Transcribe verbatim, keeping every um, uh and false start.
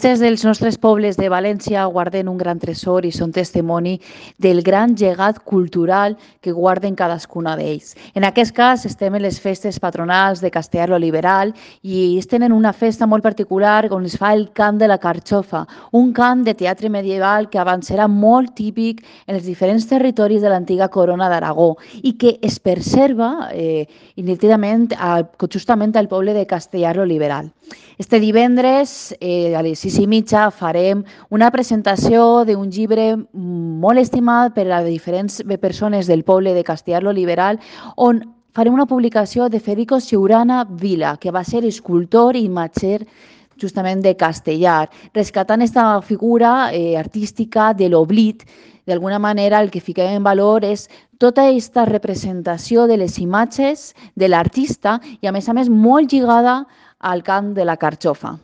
festes dels nostres pobles de València guarden un gran tresor i són testimoni del gran llegat cultural que guarden cadascuna d'ells. En aquest cas estem en les festes patronals de Castellar lo Liberal i ells tenen una festa molt particular on es fa el cant de la carxofa, un cant de teatre medieval que abans era molt típic en els diferents territoris de l'antiga corona d'Aragó i que es preserva eh, ininterruptament justament al poble de Castellar lo Liberal. Este divendres, eh, a les sis i mitja, farem una presentació d'un llibre molt estimat per a diferents persones del poble de Castellar lo Liberal, on farem una publicació de Federico Ciurana Vila, que va ser escultor i imatger justament de Castellar, rescatant aquesta figura eh, artística de l'oblit. D'alguna manera, el que fiquem en valor és tota aquesta representació de les imatges de l'artista i, a més a més, molt lligada al cant de la carxofa.